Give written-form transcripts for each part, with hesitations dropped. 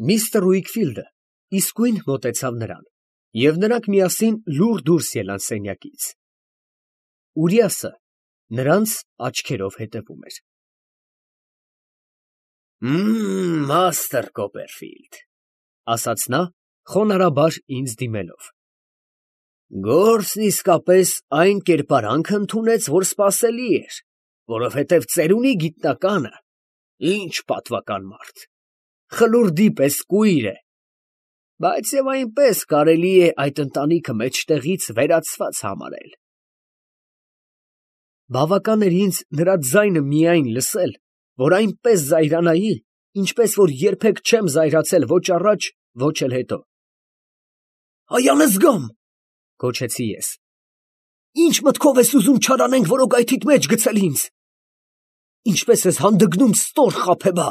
Միստր Ուիքֆիլդը իսկույն մոտեցավ նրան, և նրանք միասին լուռ դուրս ելան սենյակից։ Ուրիասը նրանց աչքերով հետևում էր։ Մաստր Կոպերֆիլդ, ֊ ասաց նա, խոնարհաբար ինձ դիմելով, ֊ գործն իսկապես այն կերպարանք ընդունեց, որ սպասելի էր, որովհետև ծերունի գիտնականը ինչ պատվական մարդ, խլուրդի պես կույր է, բայց և այնպես կարելի է այդ ընտանիքը մեջտեղից վերացված համարել։ Բավական էր ինձ նրա ձայնը միայն լսել, որ այնպես զայրանայի, ինչպես որ երբեք չեմ զայրացել ոչ առաջ, ոչ էլ հետո։ «Հայ անզգամ, ֊ գոչեցի ես, ֊ ինչ մտքով ես ուզում չարանենք որոգայթիդ մեջ գցել ինձ, ինչպես ես հանդգնում ստոր խաբեբա,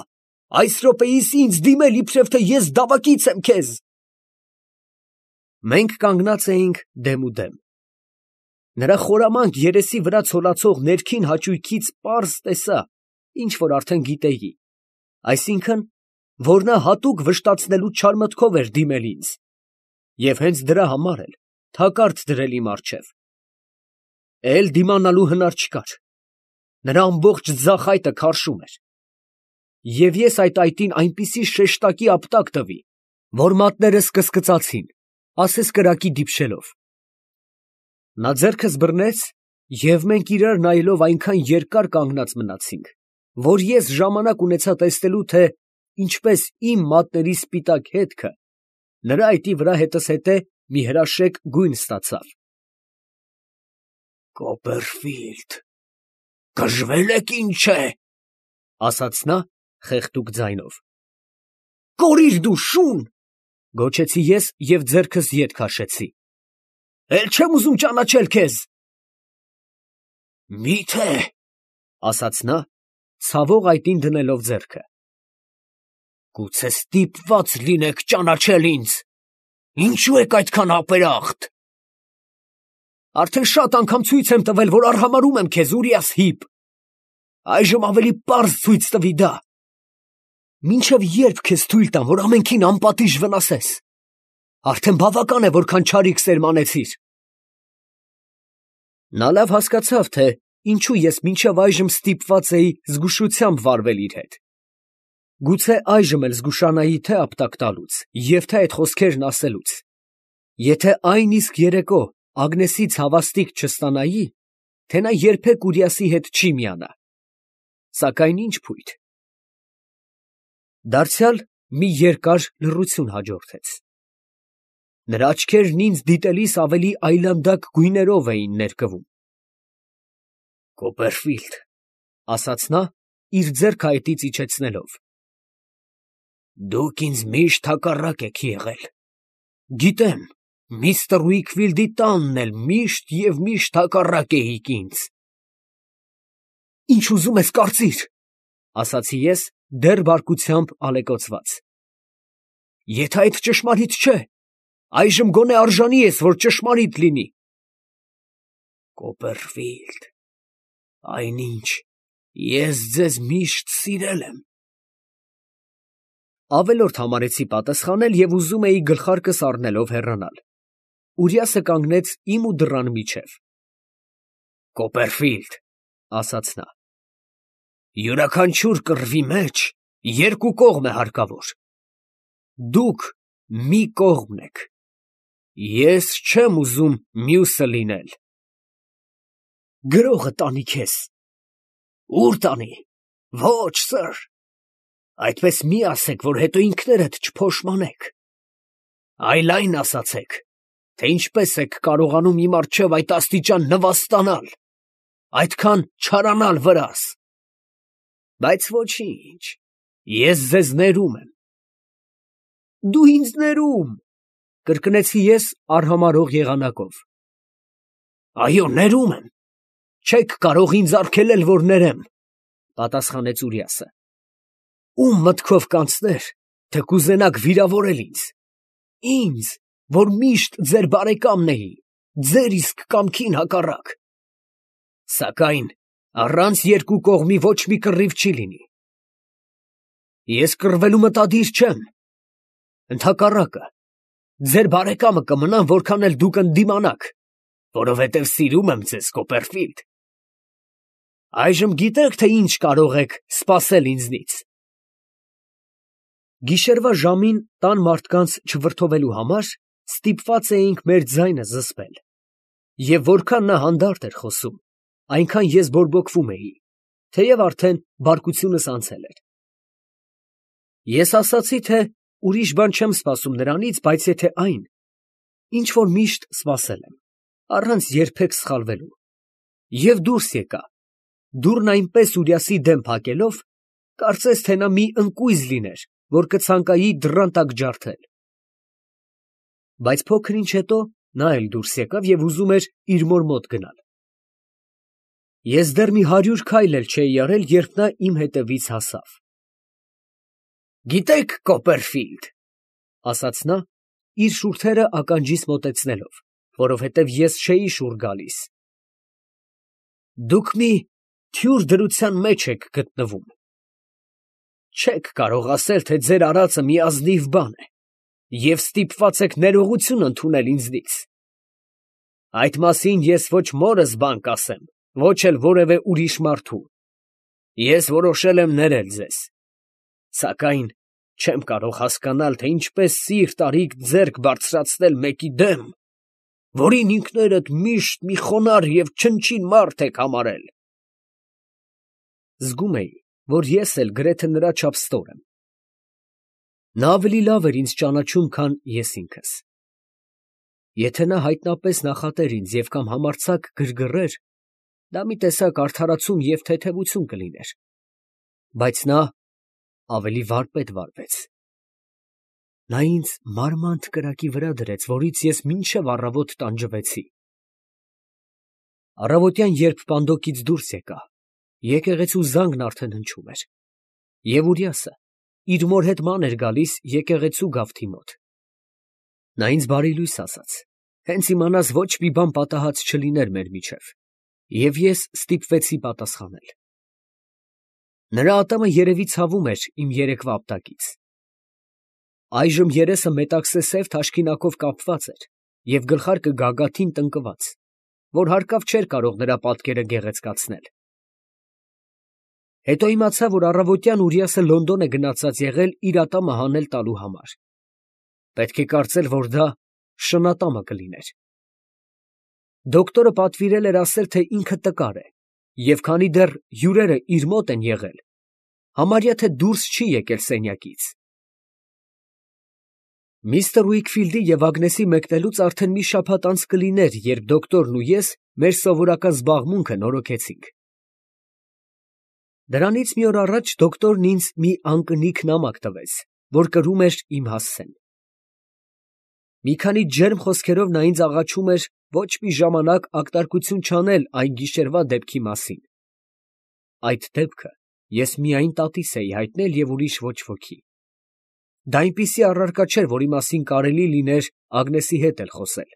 այս րոպեիս ինձ դիմել, իբրև թե ես դավակից եմ քեզ»։ Մենք կանգնած էինք դեմուդեմ։ Նրա խորամանկ երեսի վրա ցոլացող ներքին հաճույքից պարզ տեսա, ինչ որ արդեն գիտեի, այսինքն, որ նա հատուկ վշտացնելու չար մտքով էր դիմել ինձ, և հենց դրա համար էլ թակարդ դրել իմ առջև։ Էլ դիմանալու հնար չկար, նրա ամբողջ ձախ այտը քարշում էր, և ես այդ այտին այնպիսի շեշտակի ապտակ տվի, որ մատներս կսկծացին, ասես կրակի դիպչելով։ Նա ձեռքս բռնեց, և մենք իրար նայելով այնքան երկար կանգնած մնացինք, որ ես ժամանակ ունեցա տեսնելու, թե ինչպես իմ մատների սպիտակ հետքը նրա այտի վրա հետզհետե մի հրաշեկ գույն ստացավ։ «Կոպերֆիլդ, գժվել եք ինչ է, ֊ ասաց նա խեղդուկ ձայնով։ ֊ Կորիր դու, շուն, ֊ գոչեցի ես և ձեռքս ետ քաշեցի։ ֊ Էլ չեմ ուզում ճանաչել քեզ։ Մի՞թե, ֊ ասաց նա, ցավող այտին դնելով ձեռքը, ֊ գուցե ստիպված լինեք ճանաչել ինձ, ինչո՞ւ եք այդքան ապերախտ։ Արդեն շատ անգամ ցույց եմ տվել, որ արհամարհում եմ քեզ, Ուրիաս Հիպ, այժմ ավելի պարզ ցույց տվի դա։ Մինչև ե՞րբ քեզ թույլ տամ, որ ամենքին անպատիժ վնասես։ Արդեն բավական է, որքան չարիք սերմանեցիր։ Նա լավ հասկացավ, թե ինչու ես մինչև այժմ ստիպված էի զգուշությամբ վարվել իր հետ։ Գուցե այժմ էլ զգուշանայի թե ապտակ տալուց և թե այդ խոսքերն ասելուց, եթե այն իսկ երեկո Ագնեսից հավաստիք չստանայի, թե նա երբեք Ուրիասի հետ չի միանա։ Սակայն ինչ փույթ։ Դարձյալ մի երկար լռություն հաջորդեց։ Նրա աչքերն ինձ դիտելիս ավելի այլանդակ գույներով էին ներկվում։ Կոպերֆիլդ, ֊ ասաց նա, իր ձեռքը այտից իջեցնելով, ֊ դուք ինձ միշտ հակառակ եք եղել։ Գիտեմ, միստր Ուիքֆիլդի տանն էլ միշտ և միշտ հակառակ էիք ինձ։ Ինչ ուզում ես կարծիր, ֊ ասացի ես, դեռ բարկությամբ ալեկոծված։ Եթե այդ ճշմարիտ չէ, այժմ գոնե արժանի ես, որ ճշմարիտ լինի։ Կոպերֆիլդ, այնինչ ես ձեզ միշտ սիրել եմ։ Ավելորդ համարեցի պատասխանել և ուզում էի գլխարկս առնելով հեռանալ։ Ուրիասը կանգնեց իմ ու դռան միջև։ Կոպերֆիլդ, ֊ ասաց նա, ֊ յուրաքանչյուր կռվի մեջ երկու կողմ է հարկավոր։ Դուք մի կողմն եք, ես չեմ ուզում մյուսը լինել։ Գրողը տանի քեզ։ Ո՞ւր տանի։ Ոչ, սըր, այդպես մի ասեք, որ հետո ինքներդ չփոշմանեք, այլ այն ասացեք, թե ինչպես եք կարողանում իմ առջև այդ աստիճան նվաստանալ, այդքան չարանալ վրաս։ Բայց ոչինչ, ես ձեզ ներում եմ։ Դու ինձ ներում, ֊ կրկնեցի ես արհամարհող եղանակով։ Այո, ներում եմ, չեք կարող ինձ արգելել, որ ներեմ, ֊ պատասխանեց Ուրիասը։ Ում մտքով կանցներ, թե կուզենաք վիրավորել ինձ, որ միշտ ձեր բարեկամն էի, ձեր իսկ կամքին հակառակ։ Սակայն առանց երկու կողմի ոչ մի կռիվ չի լինի։ Ես կռվելու մտադիր չեմ, Ընդհակառակը, ձեր բարեկամը կմնամ, որքան էլ դուք ընդդիմանաք, որովհետև սիրում եմ ձեզ, Կոպերֆիլդ։ Այժմ գիտեք, թե ինչ կարող եք սպասել ինձնից։ Գիշերվա ժամին տան մարդկանց չվրդովելու համար ստիպված էինք մեր ձայնը զսպել, և որքան նա հանդարտ էր խոսում, այնքան ես բորբոքվում էի, թեև արդեն բարկությունս անցել էր։ Ես ասացի, թե ուրիշ բան չեմ սպասում նրանից, բայց եթե այն, ինչ որ միշտ սպասել եմ, առանց երբեք սխալվելու, և դուրս եկա, դուռն այնպես Ուրիասի դեմ փակելով, կարծես թե նա մի ընկույզ լիներ, որ կցանկայի դռան տակ ջարդել։ Բայց փոքր ինչ հետո նա էլ դուրս եկավ և ուզում էր իր մոր մոտ գնալ։ Ես դեռ մի 100 քայլ էլ չէի արել, երբ նա իմ հետևից հասավ։ «Գիտեք, Կոպերֆիլդ, ֊ ասաց նա, իր շուրթերը ականջիս մոտեցնելով, որովհետև ես չէի շուռ գալիս, ֊ դուք մի թյուր դրության մեջ եք գտնվում։ Չեք կարող ասել, թե ձեր արածը մի ազնիվ բան է, և ստիպված եք ներողություն ընդունել ինձնից։ Այդ մասին ես ոչ մորս բան կասեմ, ոչ էլ որևէ ուրիշ մարդու. ես որոշել եմ ներել ձեզ, սակայն չեմ կարող հասկանալ, թե ինչպես սիրտ արիք ձեռք բարձրացնել մեկի դեմ, որին ինքներդ միշտ մի խոնարհ և չնչին մարդ եք համարել։ Զգում էի, որ ես էլ գրեթե նրա չափ ստոր եմ։ Նա ավելի լավ էր ինձ ճանաչում, քան ես ինքս։ Եթե նա հայտնապես նախատեր ինձ և կամ համարձակ գրգռեր, դա մի տեսակ արդարացում և թեթևություն կլիներ, բայց նա ավելի վարպետ վարվեց։ Նա ինձ մարմանդ կրակի վրա դրեց, որից ես մինչև առավոտ տանջվեցի։ Առավոտյան, երբ պանդոկից դուրս եկա, եկեղեցու զանգն արդեն հնչում էր, և Ուրիասը իր մոր հետ ման էր գալիս եկեղեցու գավթի մոտ։ Նա ինձ բարի լույս ասաց, հենց իմանաս ոչ մի բան պատահած չլիներ մեր միջև, և ես ստիպվեցի պատասխանել։ Նրա ատամը երևի ցավում էր իմ երեկվա ապտակից։ Այժմ երեսը մետաքսե սև թաշկինակով կապված էր և գլխարկը գագաթին տնկված, որ հարկավ չէր կարող նրա պատկերը գեղեցկացնել։ Հետո իմացա, որ առավոտյան Ուրիասը Լոնդոն է գնացած եղել իր ատամը հանել տալու համար։ Պետք է կարծել, որ դա շնատամը կլիներ։ Դոկտորը պատվիրել էր ասել, թե ինքը տկար է, և քանի դեռ հյուրերը իր մոտ են եղել, համարյա թե դուրս չի եկել սենյակից։ Միսթր Ուիքֆիլդի և Ագնեսի մեկնելուց արդեն մի շաբաթ անց կլիներ, երբ դոկտորն ու ես մեր սովորական զբաղմունքը նորոգեցինք։ Դրանից մի օր առաջ դոկտորն ինձ մի անկնիկ նամակ տվեց, որ կրում էր իմ հասցեն։ Մի քանի ջերմ խոսքերով նա ինձ աղաչում էր ոչ մի ժամանակ ակտարկություն չանել այն գիշերվա դեպքի մասին։ Այդ դեպքը ես միայն տատիս էի հայտնել և ուրիշ ոչ ոքի։ Դա այնպիսի առարկա չէր, որի մասին կարելի լիներ Ագնեսի հետ էլ խոսել։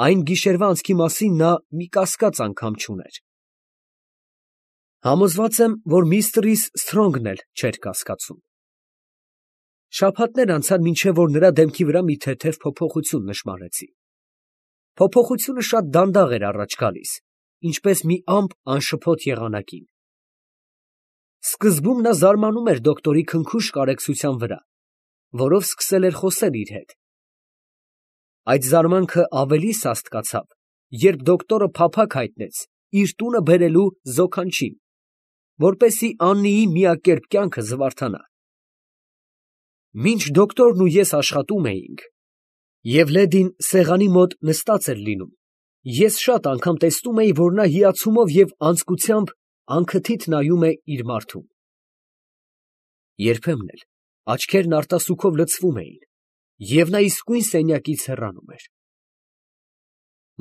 Այն գիշերվա անցքի մասին նա մի կասկած անգամ չուներ։ Համոզված եմ, որ միստր Սթրոնգն էլ չէր կասկածում։ Շաբաթներ անցան, մինչև որ նրա դեմքի վրա մի թեթև փոփոխություն նշմարեցի։ Փոփոխությունը շատ դանդաղ էր առաջ գալիս, ինչպես մի ամպ անշփոթ եղանակին։ Սկզբում նա զարմանում էր դոկտորի քնքուշ կարեկցության վրա, որով սկսել էր խոսել իր հետ։ Այդ զարմանքը ավելի սաստկացավ, երբ դոկտորը փափագ հայտնեց իր տունը բերելու զոքանչին, որպեսզի Աննիի միակերպ կյանքը զվարթանա։ Մինչ դոկտորն ու ես աշխատում էինք, և լեդին սեղանի մոտ նստած էր լինում, ես շատ անգամ տեսնում էի, որ նա հիացումով և անձկությամբ անքթիթ նայում է իր մարդուն։ Երբեմն էլ աչքերն արտասուքով լցվում էին, և նա իսկույն սենյակից հեռանում էր։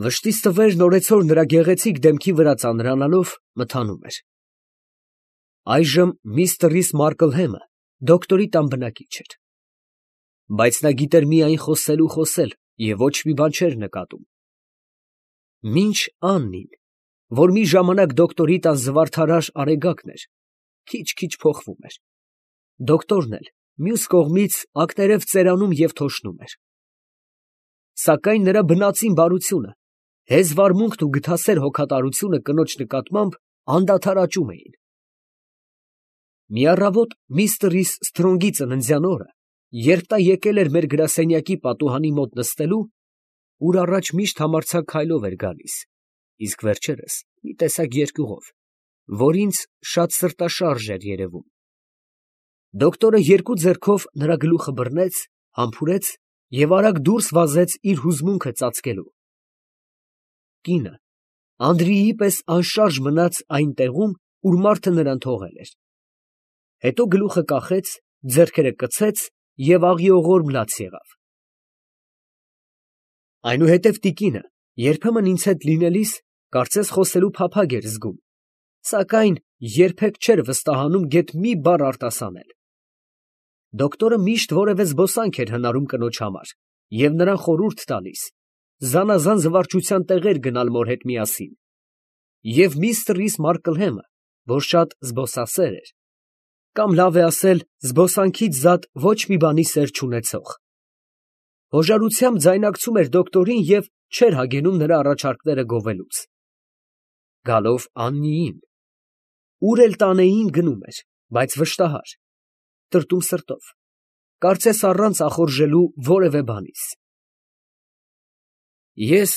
Վշտից թվերն օրեցօր նրա գեղեցիկ դեմքի վրա ծանրանալով մթանում էր։ Այժմ միստր Մարկլհեմը դոկտորի տան բնակիչ էր։ Բայց նա գիտեր միայն խոսել ու խոսել և ոչ մի բան չէր նկատում։ Մինչ Աննին, որ մի ժամանակ դոկտորի տան զվարթարար արեգակն էր, քիչ֊քիչ փոխվում էր։ Դոկտորն էլ մյուս կողմից ակներև ծերանում և թոշնում էր։ Սակայն նրա բնածին բարությունը, հեզվարմունքն ու գթասեր հոգատարությունը կնոջ նկատմամբ անդադար աճում էին։ Մի առավոտ միստր Սթրոնգի ծննդյան օրը, երբ նա եկել էր մեր գրասենյակի պատուհանի մոտ նստելու, ուր առաջ միշտ համարձակ քայլով էր գալիս, իսկ վերջերս մի տեսակ երկյուղով, որ ինձ շատ սրտաշարժ էր երևում, դոկտորը երկու ձեռքով նրա գլուխը բռնեց, համբուրեց և արագ դուրս վազեց իր հուզմունքը ծածկելու։ Կինը Անդրիի պես անշարժ մնաց այն տեղում, ուր մարդը նրան թողել էր, հետո գլուխը կախեց, ձեռքերը կցեց և աղիողորմ լաց եղավ։ Այնուհետև տիկինը երբեմն ինձ հետ լինելիս կարծես խոսելու փափագ էր զգում, սակայն երբեք չէր վստահանում գեթ մի բառ արտասանել։ Դոկտորը միշտ որևէ զբոսանք էր հնարում կնոջ համար և նրան խորհուրդ տալիս զանազան զվարճության տեղեր գնալ մոր հետ միասին, և միստր Մարկլհեմը, որ շատ զբոսասեր էր, կամ լավ է ասել զբոսանքից զատ ոչ մի բանի սեր չունեցող, հոժարությամբ ձայնակցում էր դոկտորին և չէր հագենում նրա առաջարկները գովելուց։ Գալով Աննիին, ուր էլ տանեին գնում էր, բայց վշտահար, տրտում սրտով, կարծես առանց ախորժելու որևէ բանից։ Ես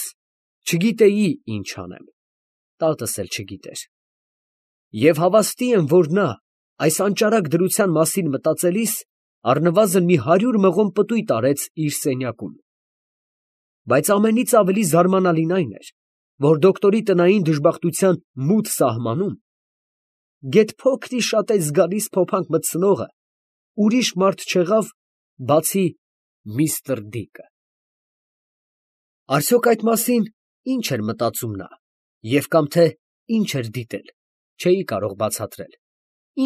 չգիտեի ինչ անեմ, տատս էլ չգիտեր, և հավաստի եմ, որ նա այս անճարակ դրության մասին մտածելիս առնվազն մի 100 մղոն պտույտ արեց իր սենյակում, բայց ամենից ավելի զարմանալին այն էր, որ դոկտորի տնային դժբախտության մութ սահմանում գեթ փոքր-ի-շատ է զգալիս փոփանք մտցնողը ուրիշ մարդ չեղավ, բացի միստր Դիկը։ Արդյոք այդ մասին ինչ էր մտածում նա, և կամ թե ինչ էր դիտել, չէի կարող բացատրել,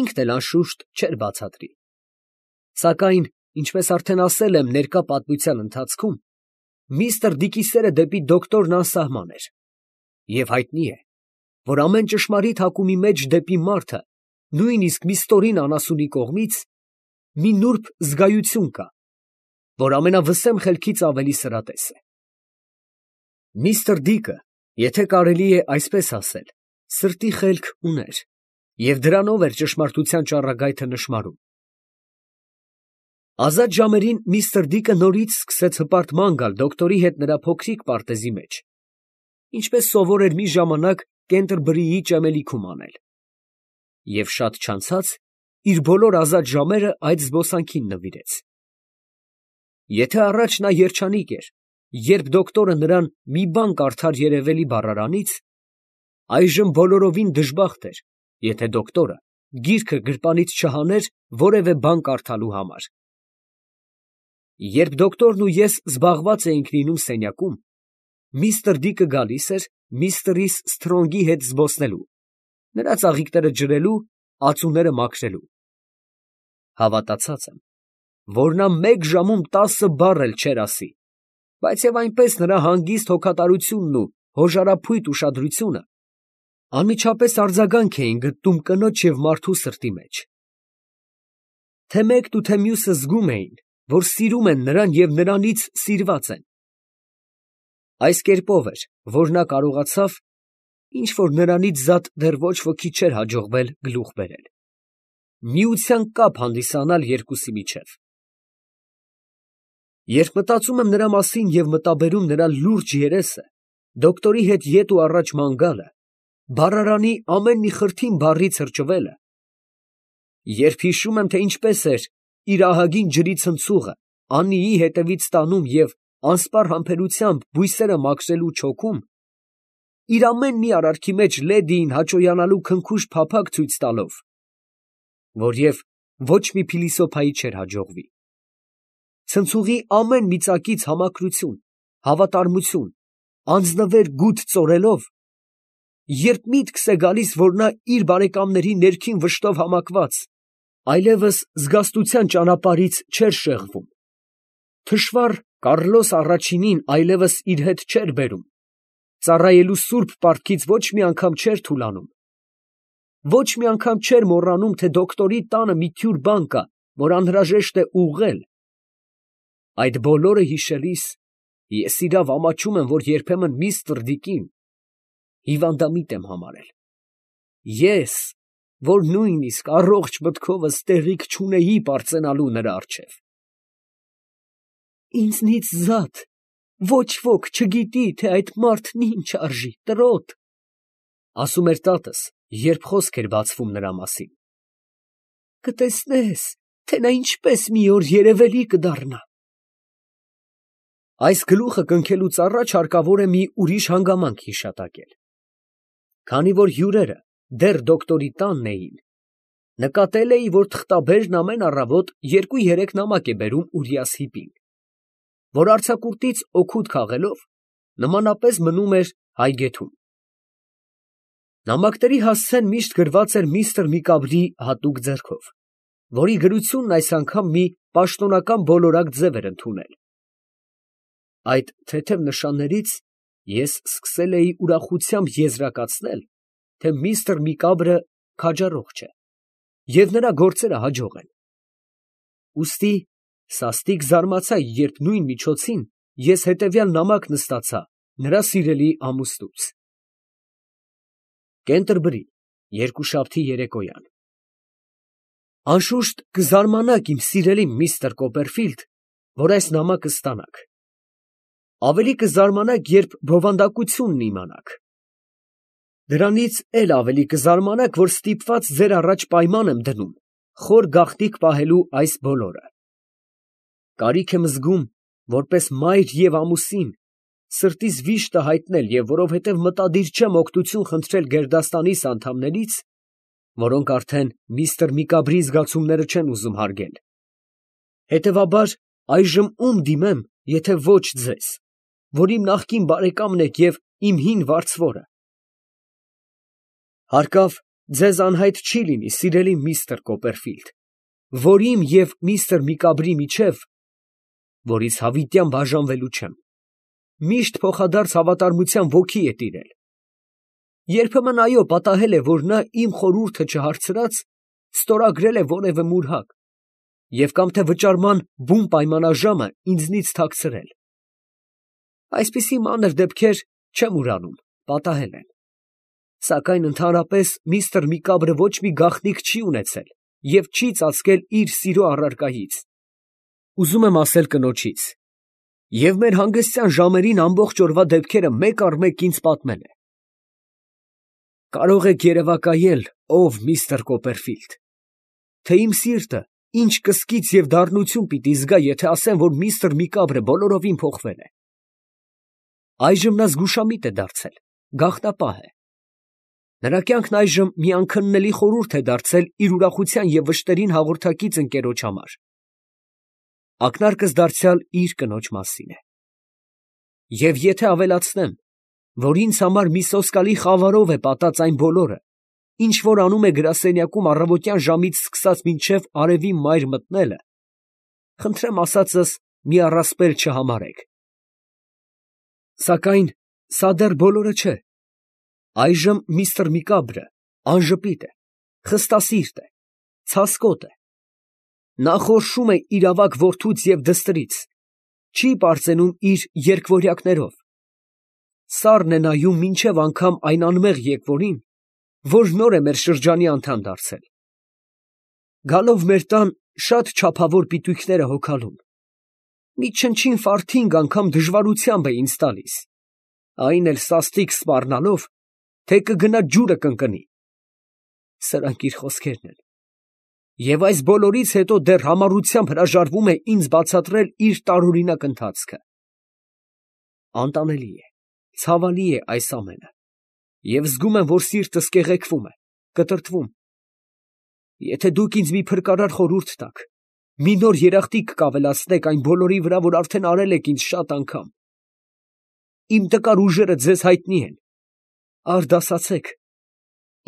ինքն էլ անշուշտ չէր բացատրի։ Սակայն, ինչպես արդեն ասել եմ ներկա պատմության ընթացքում, միստր Դիկի սերը դեպի դոկտորն անսահման էր, և հայտնի է, որ ամեն ճշմարիտ հակումի մեջ դեպի մարդը, նույնիսկ մի ստորին անասունի կողմից, մի նուրբ զգայություն կա, որ ամենավսեմ խելքից ավելի սրատես է։ Միստր Դիկը, եթե կարելի է այսպես ասել, սրտի խելք ուներ, և դրանով էր ճշմարտության ճառագայթը նշմարում։ Ազատ ժամերին միստր Դիկը նորից սկսեց հպարտման գալ դոկտորի հետ նրա փոքրիկ պարտեզի մեջ, ինչպես սովոր էր մի ժամանակ Կենտերբրիի ճեմելիքում անել, և շատ չանցած իր բոլոր ազատ ժամերը այդ զբոսանքին նվիրեց։ Եթե առաջ նա երջանիկ էր, երբ դոկտորը նրան մի բան կարդար երևելի բառարանից, այժմ բոլորովին դժբախտ էր, եթե դոկտորը գիրքը գրպանից չհաներ որևէ բան կարդալու համար։ Երբ դոկտորն ու ես զբաղված էինք լինում սենյակում, միստր Դիկը գալիս էր միստր Սթրոնգի հետ զբոսնելու, նրա ծաղիկները ջրելու, ածուները մաքրելու։ Հավատացած եմ, որ նա մեկ ժամում 10 բառ էլ չէր ասի, բայց և այնպես նրա հանգիստ հոգատարությունն ու հոժարափույթ ուշադրությունը անմիջապես արձագանք էին գտնում կնոջ և մարդու սրտի մեջ։ Թե մեկն ու թե մյուսը զգում էին, որ սիրում են նրան և նրանից սիրված են։ Այս կերպով էր, որ նա կարողացավ, ինչ որ նրանից զատ դեռ ոչ ոքի չէր հաջողվել գլուխ բերել, միության կապ հանդիսանալ երկուսի միջև։ Երբ մտածում եմ նրա մասին և մտաբերում նրա լուրջ երեսը, դոկտորի հետ ետ ու առաջ ման գալը, բառարանի ամեն մի խրթին բառի թրջվելը, երբ հիշում եմ, թե ինչպես էր իր ահագին ջրի ցնցուղը Աննիի հետևից տանում և անսպառ համբերությամբ բույսերը մաքրելու չոքում, իր ամեն մի արարքի մեջ լեդիին հաճոյանալու քնքուշ փափագ ցույց տալով, որ և ոչ մի փիլիսոփայի չէր հաջողվի, ցնցուղի ամեն մի ծակից համակրություն, հավատարմություն, անձնվեր գութ ծորելով, երբ միտքս է գալիս, որ նա իր բարեկամների ներքին վշտով համակված, այլևս զգաստության ճանապարհից չէր շեղվում, թշվառ Կառլոս առաջինին այլևս իր հետ չէր բերում, ծառայելու սուրբ պարտքից ոչ մի անգամ չէր թուլանում, ոչ մի անգամ չէր մոռանում, թե դոկտորի տանը մի թյուր բան կա, որ անհրաժեշտ է ուղղել, այդ բոլորը հիշելիս, ես իրավ ամաչում եմ, որ երբեմն միստր Դիկին հիվանդամիտ եմ համարել. ես, որ նույնիսկ առողջ մտքովս տեղիք չունեի պարծենալու նրա առջև։ Ինձնից զատ ոչ ոք չգիտի, թե այդ մարդն ինչ արժի, տրոտ, ասում էր տատս, երբ խոսք էր բացվում նրա մասին։ Կտեսնես, թե նա ինչպես մի օր երևելի կդառնա։ Այս գլուխը կնքելուց առաջ հարկավոր է մի ուրիշ հանգամանք հիշատակել։ Քանի որ հյուրերը դեռ դոկտորի տանն էին, նկատել էի, որ թղթաբերն ամեն առավոտ 2-3 նամակ է բերում Ուրիասիպին, որ արձակուրդից օգուտ քաղելով նմանապես մնում էր հայգեթում։ Նամակների հասցեն միշտ գրված էր միստր Միկաբրի հատուկ ձեռքով, որի գրությունն այս անգամ մի պաշտոնական բոլորակ ձև էր ընդունել։ Այդ թեթև նշաններից ես սկսել էի ուրախությամբ եզրակացնել, թե միստր Միկաբրը քաջառողջ է, և նրա գործերը հաջող են։ Ուստի սաստիկ զարմացա, երբ նույն միջոցին ես հետևյալ նամակն ստացա նրա սիրելի ամուսնուց. Կենտերբրի, երկուշաբթի երեկոյան։ Անշուշտ կզարմանաք, իմ սիրելի միստր Կոպերֆիլդ, որ այս նամակը ստանաք։ Ավելի կզարմանաք, երբ բովանդակությունն իմանաք։ Դրանից էլ ավելի կզարմանաք, որ ստիպված ձեր առաջ պայման եմ դնում խոր գաղտնիք պահելու այս բոլորը։ Կարիք եմ զգում, որպես մայր և ամուսին, սրտիս վիշտը հայտնել, և որովհետև մտադիր չեմ օգնություն խնդրել գերդաստանիս անդամներից, որոնք արդեն միստր Միկաբրի զգացումները չեն ուզում հարգել։ Հետևաբար, այժմ ում դիմեմ, եթե ոչ ձեզ, որ իմ նախկին բարեկամն եք և իմ հին վարձվորը։ Հարկավ ձեզ անհայտ չի լինի, սիրելի միստր Կոպերֆիլդ, որ իմ և միստր Միկաբրի միջև, որից հավիտյան բաժանվելու չեմ, միշտ փոխադարձ հավատարմության ոգի է տիրել։ Երբեմն այո, պատահել է, որ նա իմ խորհուրդը չհարցրած, ստորագրել է որևէ մուրհակ և կամ թե վճարման բուն պայմանաժամը ինձնից թաքցրել։ Այսպիսի մանր դեպքեր, չեմ ուրանում, պատահել են։ Սակայն ընդհանրապես միստր Միկաբրը ոչ մի գաղտնիք չի ունեցել և չի ծածկել իր սիրո առարկայից, ուզում եմ ասել կնոջից, և մեր հանգստյան ժամերին ամբողջ օրվա դեպքերը մեկ առ մեկ ինձ պատմել է։ Կարող եք երևակայել, ով միստր Կոպերֆիլդ, թե իմ սիրտը ինչ կսկիծ և դառնություն պիտի զգա, եթե ասեմ, որ միստր Միկաբրը բոլորովին փոխվել է։ Այժմ նա զգուշամիտ է դարձել, գաղտնապահ է։ Նրա կյանքն այժմ մի անքննելի խորհուրդ է դարձել իր ուրախության և վշտերին հաղորդակից ընկերոջ համար։ Ակնարկս դարձյալ իր կնոջ մասին է։ Եվ եթե ավելացնեմ, որ ինձ համար մի սոսկալի խավարով է պատած այն բոլորը, ինչ որ անում է գրասենյակում առավոտյան ժամից սկսած մինչև արևի մայր մտնելը, խնդրեմ ասածս մի առասպել չհամարեք։ Սակայն սա դեռ բոլորը չէ։ Այժմ միստր Միկաբրը անժպիտ է, խստասիրտ է, ցասկոտ է։ Նա խորշում է իր ավագ որդուց և դստրից, չի պարծենում իր երկվորյակներով, սառն է նայում մինչև անգամ այն անմեղ եկվորին, որ նոր է մեր շրջանի անդամ դարձել։ Գալով մեր տան, շատ չափավոր պիտույքներ է հոգալում, մի չնչին ֆարթինգ անգամ դժվարությամբ է ինձ տալիս, այն էլ սաստիկ սպառնալով, թե կգնա ջուրը կընկնի։ Սրանք իր խոսքերն են։ Եվ այս բոլորից հետո դեռ համառությամբ հրաժարվում է ինձ բացատրել իր տարօրինակ ընթացքը։ Անտանելի է, ցավալի է այս ամենը, և զգում եմ, որ սիրտս կեղեքվում է, կտրտվում։ Եթե դուք ինձ մի փրկարար խորհուրդ տաք, մի նոր երախտիկ կավելացնեք այն բոլորի վրա, որ արդեն արել եք ինձ շատ անգամ։ Իմ տկար ուժերը ձեզ հայտնի են, արդ ասացեք,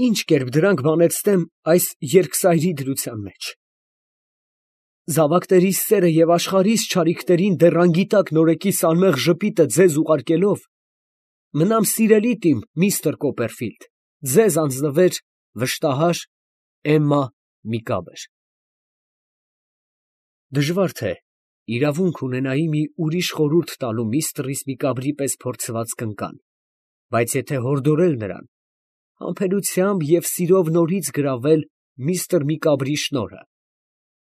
ինչ կերպ դրանք բանեցնեմ այս երկսայրի դրության մեջ։ Զավակներիս սերը և աշխարհիս չարիքներին դեռ անգիտակ նորեկիս անմեղ ժպիտը ձեզ ուղարկելով, մնամ սիրելիդ իմ միստր Կոպերֆիլդ, ձեզ անձնվեր վշտահար Էմմա Միկաբր։ Դժվար թե իրավունք ունենայի մի ուրիշ խորհուրդ տալու միստր Միկաբրի պես փորձված կնկան, բայց եթե հորդորել նրան, համբերությամբ և սիրով նորից գրավել միստր Միկաբրի շնորհը,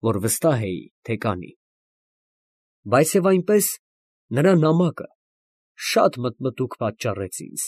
որ վստահ էի, թե կանի, բայց և այնպես նրա նամակը շատ մտմտուք պատճառեց ինձ։